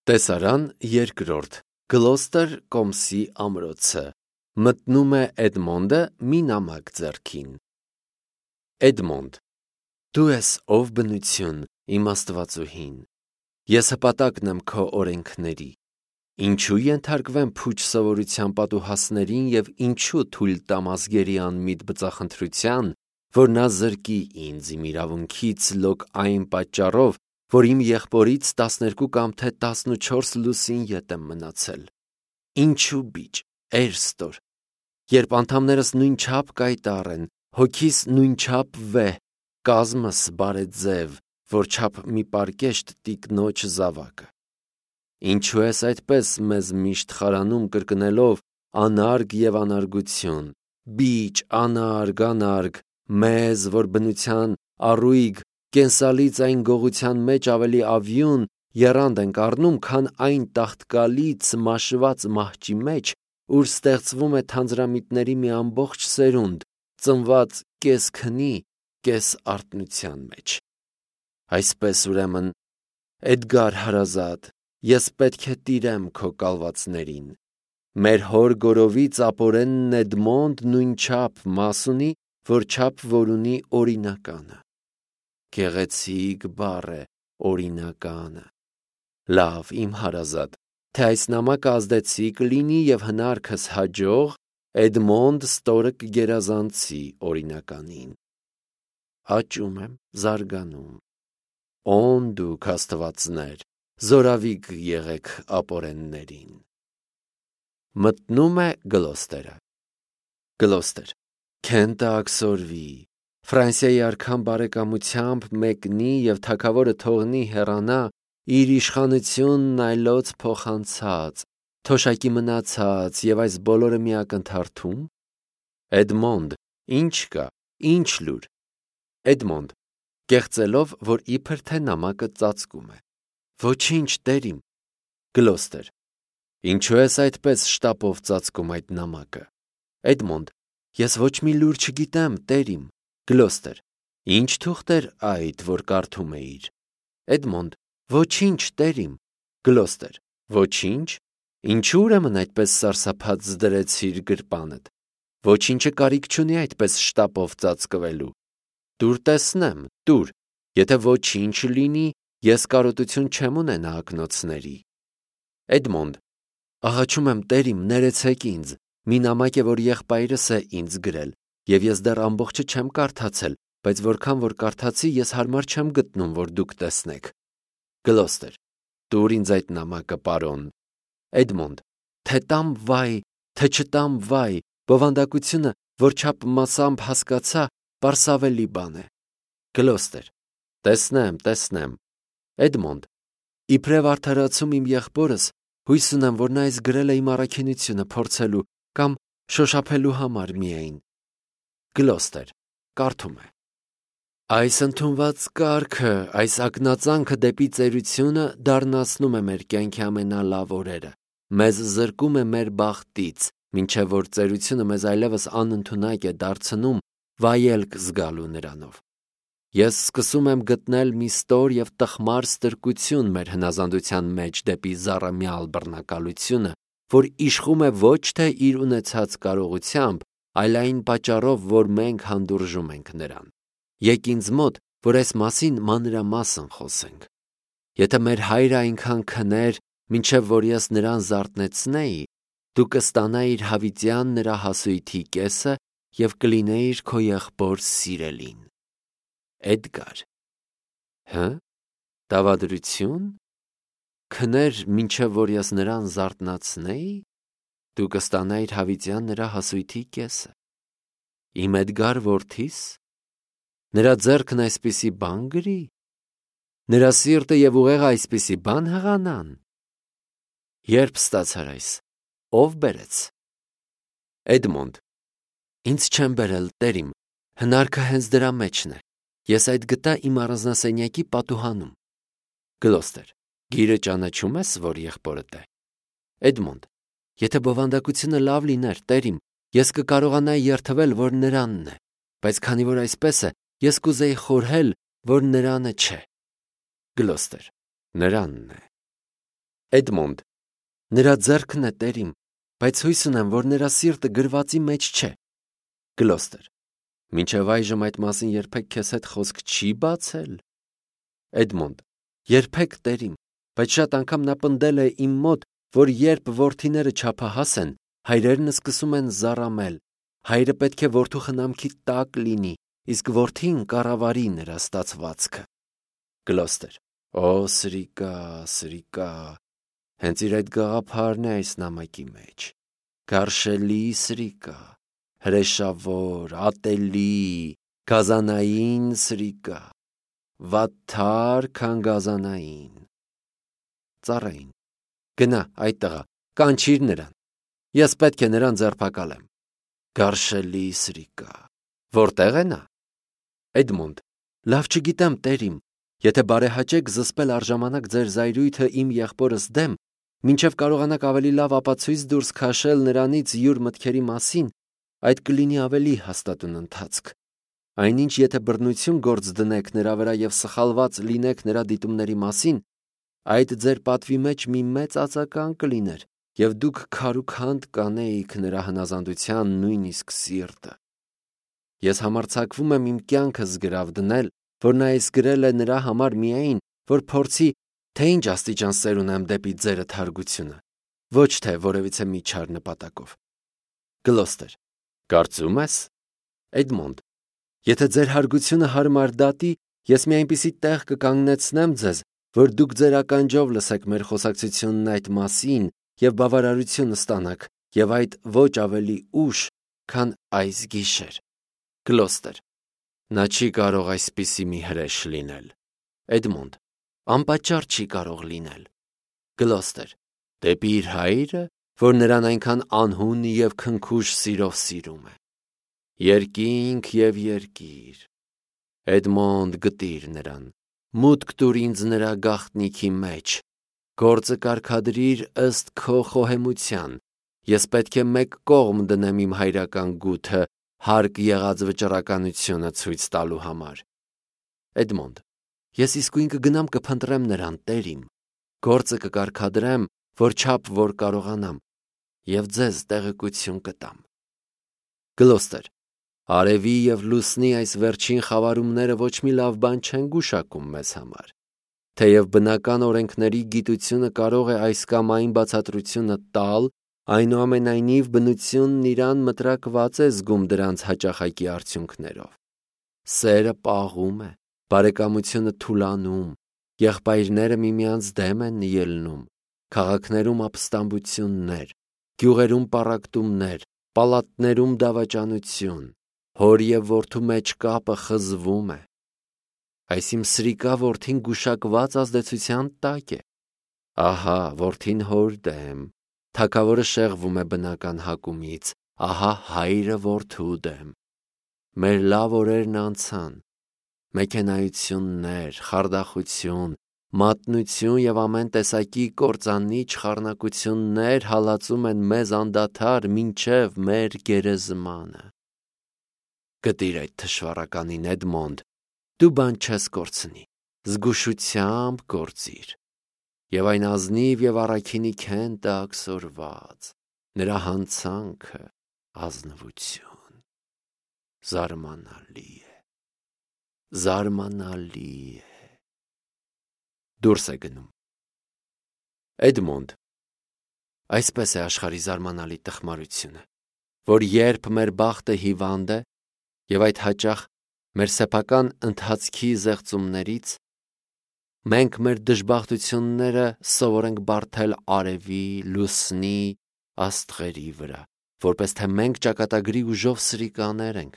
Տեսարան երկրորդ Գլոստեր կոմսի ամրոցը մտնում է Էդմոնդը մի նամակ ձեռքին։ Էդմոնդ, դու ես ով բնություն, իմ աստվածուհին, ես հպատակն եմ քո օրենքների, ինչու ենթարկվեմ փուչ սովորության պատուհասներին և ինչու թույլ տամ ազգերի անմիտ բծախնդրության, որ նա զրկի ինձ իմ իրավունքից լոկ այն պատճառով, որ իմ եղբորից 12 կամ թե 14 լուսին ետ եմ մնացել։ Ինչու բիճ, էրստոր, երբ անդամներս նույնչափ կայտառ են, հոգիս նույնչափ վեհ, կազմս բարեձև, որչափ մի պարկեշտ տիկնոջ զավակը։ Ինչու ես այդպես մեզ միշտ խարանում կրկնելով անարգ և անարգություն, բիճ, անարգ, մեզ, որ բնության առույգ, կենսալից այն գողության մեջ ավելի ավյուն, եռանդ ենք առնում, քան այն տաղտկալից մաշված մահճի մեջ, ուր ստեղծվում է թանձրամիտների մի ամբողջ սերունդ, ծնված կես քնի, կես արթնության մեջ։ Այսպես ուրեմն, Էդգար հարազատ, ես պետք է տիրեմ քո կալվածներին։ Մեր հոր գորովից ապորենն Էդմոնդ նույնչափ մաս ունի, որչափ որ ունի օրինականը։ Գեղեցիկ բառ է օրինականը։ Լավ, իմ հարազատ, թե այս նամակը ազդեցիկ լինի և հնարքս հաջող, Էդմոնդ ստորը կգերազանցի օրինականին։ Աճում եմ, զարգանում։ Օն դուք աստվածներ, զորավիգ եղեք ապորեններին։ Մտնում է Գլոստերը։ Գլոստեր, քենտը աքսորվի, Ֆրանսիայի արքան բարեկամությամբ մեկնի և թագավորը թողնի հեռանա իր իշխանությունն այլոց փոխանցած, թոշակի մնացած և այս բոլորը մի ակնթարթո՞ւմ։ Էդմոնդ, ինչ կա, ինչ լուր։ Էդմոնդ, կեղծելով, որ իբր թե նամակը ծածկում է։ Ոչինչ, տերիմ։ Գլոստեր, ինչու ես այդպես շտապով ծածկում այդ նամակը։ Էդմոնդ, ես ոչ մի լուր չգիտեմ, տերիմ։ Գլոստեր, ինչ թուղթ էր այդ, որ կարդում էիր։ Էդմոնդ, ոչինչ, տերիմ։ Գլոստեր, ոչինչ, ինչու ուրեմն այդպես սարսափած դրեցիր գրպանդ։ Ոչինչը կարիք չունի այդպես շտապով ծածկվելու։ Տուր տեսնեմ, տուր, եթե ոչինչ լինի, ես կարոտություն չեմ ունենա ակնոցների։ Էդմոնդ, աղաչում եմ, տերիմ, ներեցեք ինձ, մի նամակ է, որ եղբայրս է ինձ գրել, և ես դեռ ամբողջը չեմ կարդացել, բայց որքան որ կարդացի, ես հարմար չեմ գտնում, որ դուք տեսնեք։ Գլոստեր, տուր ինձ այդ նամակը, պարոն։ Էդմոնդ, թե տամ վայ, թե չտամ վայ, բովանդակությունը, որչափ մասամբ հասկացա, պարսավելի բան է։ Գլոստեր, տեսնեմ։ Էդմոնդ, իբրև արդարացում իմ եղբորս, հույս ունեմ, որ նա այս գրել է իմ առաքինությունը փորձելու կամ շոշափելու համար միայն։ Գլոստեր, կարդում է. Այս ընդունված կարգը, այս ակնածանքը դեպի ծերությունը դառնացնում է մեր կյանքի ամենալավ օրերը, մեզ զրկում է մեր բախտից, մինչև որ ծերությունը մեզ այլևս անընդունակ է դարձնում վայելք զգալու նրանով։ Ես սկսում եմ գտնել մի ստոր և տխմար ստրկություն մեր հնազանդության մեջ դեպի զառամյալ բռնակալությունը, որ իշխում է ոչ թե իր ունեցած կարողությամբ, այլ այն պատճառով, որ մենք հանդուրժում ենք նրան։ Եկ ինձ մոտ, որ այս մասին մանրամասն խոսենք։ Եթե մեր հայրը այնքան քներ, մինչև որ ես նրան զարթնեցնեի, դու կստանայիր հավիտյան նրա հասույթի կեսը և կլինեիր քո եղբոր սիրելին։ Էդգար։ Հը՞, դավադրություն։ Քներ, մինչև որ ես նրան զարթնացնեի, դու կստանայիր հավիտյան նրա հասույթի կեսը։ Իմ Էդգար որդիս։ Նրա ձեռքն այսպիսի բան գրի։ Նրա սիրտը և ուղեղը այսպիսի բան հղանան։ Երբ ստացար այս, ով բերեց։ Էդմոնդ, ինձ չեն բերել, տերիմ, հնարքը հենց դրա մեջն է։ Ես այդ գտա իմ առանձնասենյակի պատուհանում։ Գլոստեր, գիրը ճանաչում ես, որ եղբորդ է։ Էդմոնդ, եթե բովանդակությունը լավ լիներ, տերիմ, ես կկարողանայի երդվել, որ նրանն է, բայց քանի որ այսպես է, ես կուզեի խորհել, որ նրանը չէ։ Գլոստեր, նրանն է։ Էդմոնդ. Նրա ձեռքն է, տերիմ, բայց հույս ունեմ, որ նրա սիրտը գրվածի մեջ չէ։ Գլոստեր. Մինչև այժմ այդ մասին երբեք քեզ հետ խոսք չի բացել։ Էդմոնդ. Երբեք, տերիմ, բայց շատ անգամ նա պնդել է իմ մոտ, որ երբ որդիները չափահաս են, հայրերն սկսում են զառամել։ Հայրը պետք է որդու խնամքի տակ լինի, իսկ որդին կառավարի նրա ստացվածքը։ Գլոստեր. Օ, սրիկա, սրիկա, հենց իր այդ գաղափարն է այս նամակի մեջ։ Գարշելի սրիկա, հրեշավոր, ատելի, գազանային սրիկա, վատթար, քան գազանային։ Ծառային. Գնա այդ տղա, կանչիր նրան։ Ես պետք է նրան ձերբակալեմ։ Գարշելի սրիկա, որտեղ է նա։ Էդմոնդ. Լավ չգիտեմ, տերիմ, եթե բարեհաճեք զսպել առժամանակ ձեր զայրույթը իմ եղբորս դեմ, մինչև կարողանաք ավելի լավ ապացույց դուրս քաշել նրանից յուր մտքերի մասին, այդ կլինի ավելի հաստատուն ընթացք։ Այնինչ եթե բռնություն գործ դնեք նրա վրա և սխալված լինեք նրա դիտումների մասին, այդ ձեր պատվի մեջ մի մեծ ածական կլիներ, և դուք քարուքանդ կանեիք նրա հնազանդության նույնիսկ սիրտը։ Ես համարձակվում եմ իմ կյանքս գրավ դնել, որ նա այս գրել է նրա համար միայն, որ փորձի, թե ինչ աստիճան սեր ունեմ դեպի ձերդ հարգությունը, ոչ թե որևիցե մի չար նպատակով։ Գլոստեր. Կարծում ես։ Էդմոնդ. Եթե ձեր հարգությունը հարմար դատի, ես մի այնպիսի տեղ կկանգնեցնեմ ձեզ, որ դուք ձեր ականջով լսեք մեր խոսակցությունն այդ մասին և բավարարություն ստանաք, և այդ ոչ ավելի ուշ, քան այս գիշեր։ Գլոստեր. Նա չի կարող այսպիսի մի հրեշ լինել։ Էդմոնդ. Անպատճառ չի կարող լինել։ Գլոստեր. Դեպի իր հայրը, որ նրան այնքան անհուն և քնքուշ սիրով սիրում է։ Երկինք և երկիր։ Էդմոնդ, գտիր նրան, մուտք տուր ինձ նրա գաղտնիքի մեջ, գործը կարգադրիր ըստ քո խոհեմության, ես պետք է մեկ կողմ դնեմ իմ հայրական գութը, հարկ եղած վճռականությունը ցույց տալու համար։ Էդմոնդ. Ես իսկույն կգնամ կփնտրեմ նրան, տերիմ, գործը կկարգադրեմ, որչափ որ կարողանամ, և ձեզ տեղեկություն կտամ։ Գլոստեր. Արևի և լուսնի այս վերջին խավարումները ոչ մի լավ բան չեն գուշակում մեզ համար։ Թեև բնական օրենքների գիտությունը կարող է այս կամ այն բացատրությունը տալ, այնուամենայնիվ բնությունն իրան մտրակված է զգում դրանց հաճախակի արդյունքներով։ Սերը պաղում է, բարեկամությունը թուլանում, եղբայրները միմյանց դեմ են ելնում, քաղաքներում ապստամբություններ, գյուղերում պառակտումներ, պալատներում դավաճանություն, հոր և որդու մեջ կապը խզվում է։ Այս իմ սրիկա որդին գուշակված ազդեցության տակ է։ Ահա որդին հոր դեմ, թագավորը շեղվում է բնական հակումից, ահա հայրը որդու դեմ։ Մեր լավ օրերն անցան, մեքենայություններ, խարդախություն, մատնություն և ամեն տեսակի կործանիչ խառնակություններ հալածում են մեզ անդադար մինչև մեր գերեզմանը։ Գտիր այդ թշվառականին, Էդմոնդ, դու բան չես կորցնի, զգուշությամբ գործիր։ Եվ այն ազնիվ և առաքինի քենտը աքսորված, նրա հանցանքը ազնվություն։ Զարմանալի է, զարմանալի է։ Դուրս է գնում։ Էդմոնդ. Այսպես է աշխարհի զարմանալի տխմարությունը, որ երբ մեր բախտը հիվանդ է, և այդ հաճախ մեր սեփական ընթացքի զեղծումներից, մենք մեր դժբախտությունները սովորենք բարդել արևի, լուսնի, աստղերի վրա, որպես թե մենք ճակատագրի ուժով սրիկաներ ենք,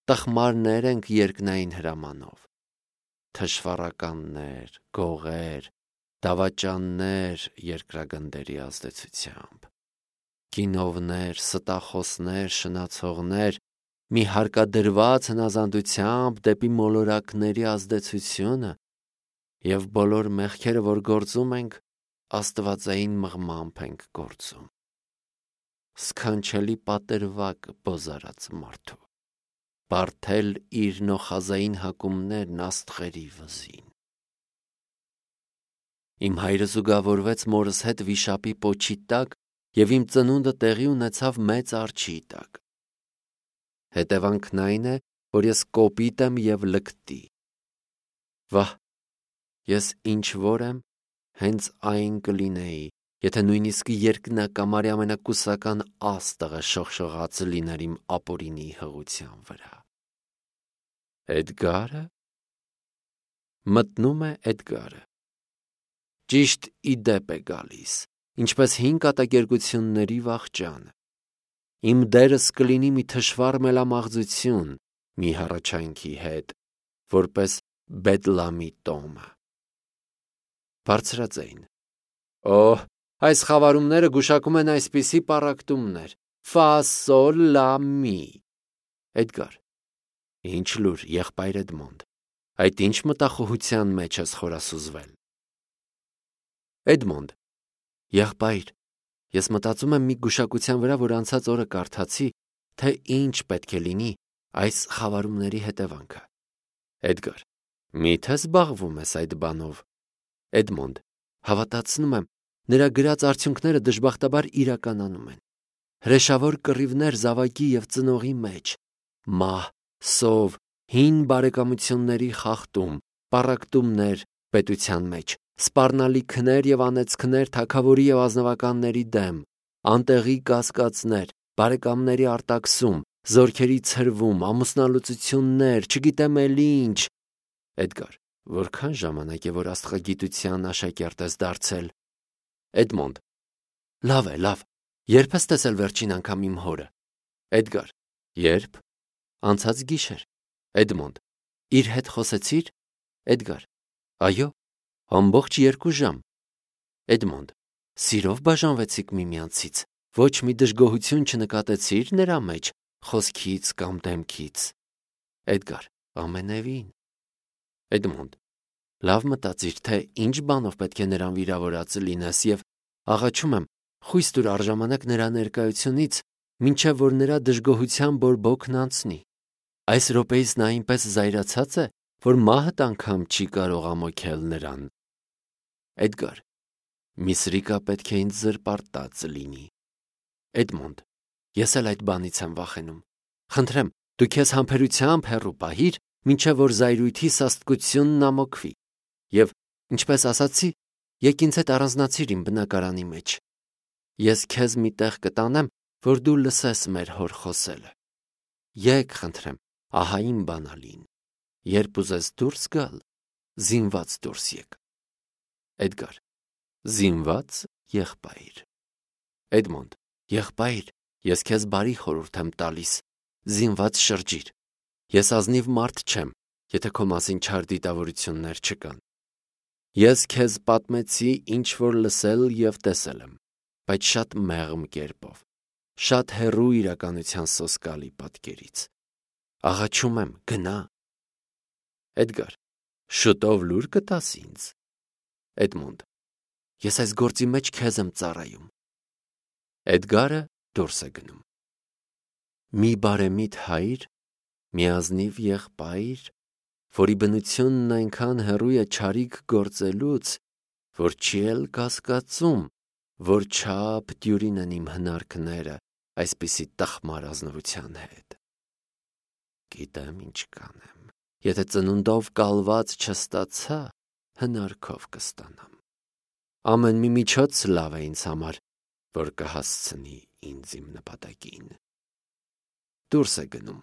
տխմարներ ենք երկնային հրամանով։ Թշվառականներ, գողեր, դավաճաններ երկրագնդերի ազդեցությամբ, կինովներ, ստախոսներ, շնացողներ, մի հարկադրված հնազանդությամբ դեպի մոլորակների ազդեցությունը և բոլոր մեղքերը, որ գործում ենք, աստվածային մղմամբ ենք գործում։ Սքանչելի պատրվակ բոզարած մարդու, բարդել իր նոխազային հակումներն աստղերի վզին։ Իմ հայրը զուգավորվեց մորս հետ վիշապի պոչի տակ և իմ ծնունդը տեղի ունեցավ մեծ արջի տակ։ Հետևանքն այն է, որ ես կոպիտ եմ և լկտի։ Վահ, ես ինչ որ եմ, հենց այն կլինեի, եթե նույնիսկ երկնակամարի ամենակուսական աստղը շողշողած լիներ իմ ապօրինի հղության վրա։ Էդգարը։ Մտնում է Էդգարը։ Ճիշտ ի դեպ է գալիս, ինչպես հին կատակերգությունների վախճանը։ Իմ դերս կլինի մի թշվառ մելամաղձություն, մի հառաչանքի հետ, որպես Բեդլամի տոմը։ Բարձրաձայն. Օհ, այս խավարումները գուշակում են այսպիսի պառակտումներ. Ֆա, սոլ, լա, մի։ Էդգար. Ինչ լուր, եղբայր Էդմոնդ, այդ ինչ մտախոհության մեջ ես խորասուզվել։ Էդմոնդ. Եղբայր, ես մտածում եմ մի գուշակության վրա, որ անցած օրը կարդացի, թե ինչ պետք է լինի այս խավարումների հետևանքը։ Էդգար. Միթե զբաղվում ես այդ բանով։ Էդմոնդ. Հավատացնում եմ, նրա գրած արդյունքները դժբախտաբար իրականանում են։ Հրեշավոր կռիվներ զավակի և ծնողի մեջ, մահ, սով, հին բարեկամությունների խախտում, պառակտումներ պետության մեջ, սպառնալիքներ և անեծքներ թագավորի և ազնվականների դեմ, անտեղի կասկածներ, բարեկամների արտաքսում, զորքերի ցրվում, ամուսնալուծություններ, չգիտեմ էլ ինչ։ Էդգար. Որքան ժամանակ է, որ աստղագիտության աշակերտ ես դարձել։ Էդմոնդ. Լավ է, լավ։ Երբ ես տեսել վերջին անգամ իմ հորը։ Էդգար. Երբ։ Անցած գիշեր։ Էդմոնդ. Իր հետ խոսեցի՞ր։ Էդգար. Այո, ամբողջ 2 ժամ։ Էդմոնդ. Սիրով բաժանվեցիք միմյանցից, ոչ մի դժգոհություն չնկատեցի՞ր նրա մեջ, խոսքից կամ դեմքից։ Էդգար. Ամենևին։ Էդմոնդ. Լավ մտածիր, թե ինչ բանով պետք է նրան վիրավորած լինես և աղաչում եմ, խույս տուր առժամանակ նրա ներկայությունից, մինչև որ նրա դժգոհության բորբոքն անցնի։ Այս րոպեիս նա այնպես զայրացած է, որ մահդ անգամ չի կարող ամոթել նրան։ Էդգար. մի սրիկա պետք է ինձ զրպարտած լինի։ Էդմոնդ. ես էլ այդ բանից եմ վախենում։ Խնդրեմ, դու քեզ համբերությամբ հեռու պահիր, մինչև որ զայրույթի սաստկությունն ամոքվի։ Եվ, ինչպես ասացի, եկ ինձ հետ առանձնացիր իմ բնակարանի մեջ։ Ես քեզ մի տեղ կտանեմ, որ դու լսես մեր հոր խոսելը։ Եկ, խնդրեմ, ահա իմ բանալին։ Երբ ուզես դուրս գալ, զինված դուրս եկ։ Էդգար. Զինված եղբայր։ Էդմոնդ. Եղբայր, ես քեզ բարի խորհուրդ եմ տալիս, զինված շրջիր։ Ես ազնիվ մարդ չեմ, եթե քո մասին չար դիտավորություններ չկան։ Ես քեզ պատմեցի, ինչ որ լսել և տեսել եմ, բայց շատ մեղմ կերպով, շատ հեռու իրականության սոսկալի պատկերից։ Աղաչում եմ, գնա։ Էդգար. շուտով լուր կտաս ինձ։ Էդմոնդ. ես այս գործի մեջ քեզ եմ ծառայում։ Էդգարը դուրս է գնում։ Մի բարեմիտ հայր, մի ազնիվ եղբայր, որի բնությունն այնքան հեռու է չարիք գործելուց, որ չի էլ կասկածում, որ չափ դյուրին են իմ հնարքները այսպիսի տխմար ազնվության հետ։ Գիտեմ ինչ կանեմ, եթե ծնունդով կալված չստացա, հնարքով կստանամ։ Ամեն մի միջոց լավ է ինձ համար, որ կհասցնի ինձ իմ նպատակին։ Դուրս է գնում։